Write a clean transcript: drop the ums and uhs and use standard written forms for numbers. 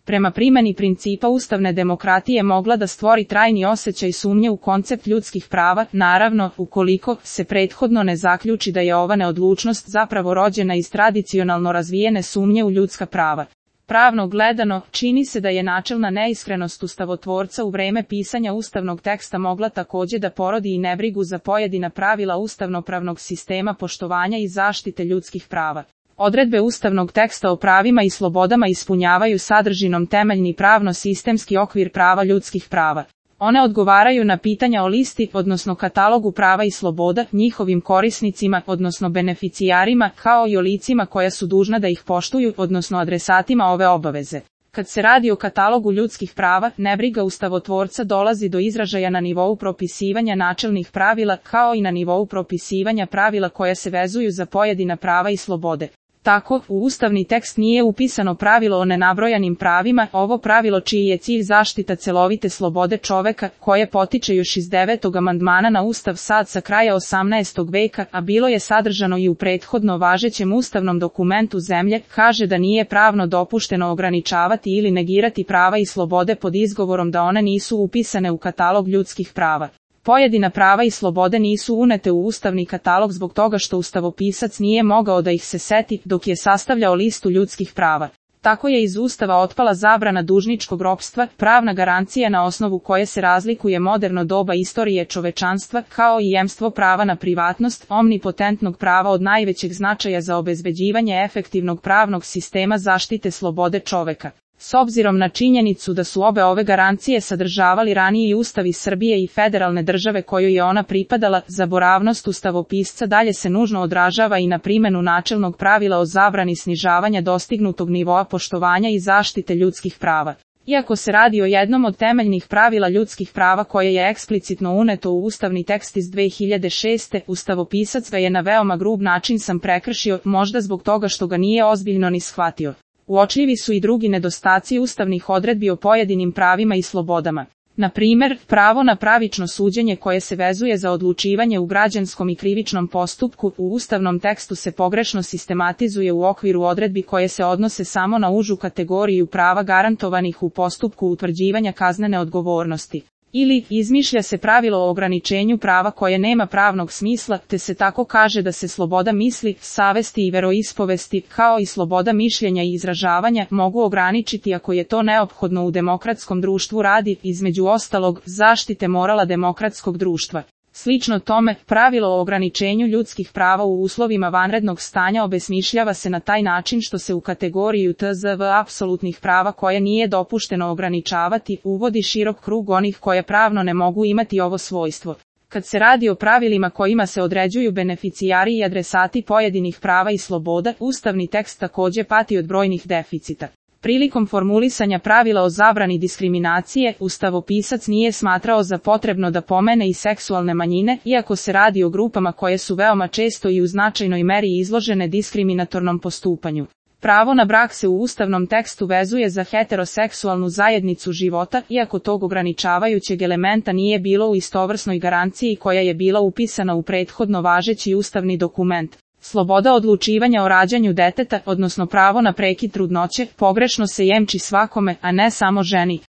prema primjeni principa ustavne demokratije mogla da stvori trajni osjećaj sumnje u koncept ljudskih prava, naravno, ukoliko se prethodno ne zaključi da je ova neodlučnost zapravo rođena iz tradicionalno razvijene sumnje u ljudska prava. Pravno gledano, čini se da je načelna neiskrenost ustavotvorca u vreme pisanja ustavnog teksta mogla također da porodi i nebrigu za pojedina pravila ustavnopravnog sistema poštovanja i zaštite ljudskih prava. Odredbe ustavnog teksta o pravima i slobodama ispunjavaju sadržinom temeljni pravno-sistemski okvir prava ljudskih prava. One odgovaraju na pitanja o listi, odnosno katalogu prava i sloboda, njihovim korisnicima, odnosno beneficijarima, kao i o licima koja su dužna da ih poštuju, odnosno adresatima ove obaveze. Kad se radi o katalogu ljudskih prava, nebriga ustavotvorca dolazi do izražaja na nivou propisivanja načelnih pravila, kao i na nivou propisivanja pravila koja se vezuju za pojedina prava i slobode. Tako, u ustavni tekst nije upisano pravilo o nenabrojanim pravima, ovo pravilo čiji je cilj zaštita celovite slobode čoveka, koje potiče još iz 9. amandmana na Ustav SAD sa kraja 18. veka, a bilo je sadržano i u prethodno važećem ustavnom dokumentu zemlje, kaže da nije pravno dopušteno ograničavati ili negirati prava i slobode pod izgovorom da one nisu upisane u katalog ljudskih prava. Pojedina prava i slobode nisu unete u ustavni katalog zbog toga što ustavopisac nije mogao da ih se seti dok je sastavljao listu ljudskih prava. Tako je iz Ustava otpala zabrana dužničkog ropstva, pravna garancija na osnovu koje se razlikuje moderno doba istorije čovečanstva, kao i jemstvo prava na privatnost, omnipotentnog prava od najvećeg značaja za obezbeđivanje efektivnog pravnog sistema zaštite slobode čoveka. S obzirom na činjenicu da su obe ove garancije sadržavali raniji ustavi Srbije i federalne države kojoj je ona pripadala, zaboravnost ustavopisca dalje se nužno odražava i na primjenu načelnog pravila o zabrani snižavanja dostignutog nivoa poštovanja i zaštite ljudskih prava. Iako se radi o jednom od temeljnih pravila ljudskih prava koje je eksplicitno uneto u ustavni tekst iz 2006. ustavopisac ga je na veoma grub način sam prekršio, možda zbog toga što ga nije ozbiljno ni shvatio. Uočljivi su i drugi nedostaci ustavnih odredbi o pojedinim pravima i slobodama. Na primjer, pravo na pravično suđenje koje se vezuje za odlučivanje u građanskom i krivičnom postupku u ustavnom tekstu se pogrešno sistematizuje u okviru odredbi koje se odnose samo na užu kategoriju prava garantovanih u postupku utvrđivanja kaznene odgovornosti. Ili, izmišlja se pravilo o ograničenju prava koje nema pravnog smisla, te se tako kaže da se sloboda misli, savesti i veroispovesti, kao i sloboda mišljenja i izražavanja, mogu ograničiti ako je to neophodno u demokratskom društvu radi, između ostalog, zaštite morala demokratskog društva. Slično tome, pravilo o ograničenju ljudskih prava u uslovima vanrednog stanja obesmišljava se na taj način što se u kategoriju TZV apsolutnih prava koje nije dopušteno ograničavati, uvodi širok krug onih koje pravno ne mogu imati ovo svojstvo. Kad se radi o pravilima kojima se određuju beneficijari i adresati pojedinih prava i sloboda, ustavni tekst također pati od brojnih deficita. Prilikom formulisanja pravila o zabrani diskriminacije, ustavopisac nije smatrao za potrebno da pomene i seksualne manjine, iako se radi o grupama koje su veoma često i u značajnoj meri izložene diskriminatornom postupanju. Pravo na brak se u ustavnom tekstu vezuje za heteroseksualnu zajednicu života, iako tog ograničavajućeg elementa nije bilo u istovrsnoj garanciji koja je bila upisana u prethodno važeći ustavni dokument. Sloboda odlučivanja o rađanju deteta, odnosno pravo na prekid trudnoće, pogrešno se jemči svakome, a ne samo ženi.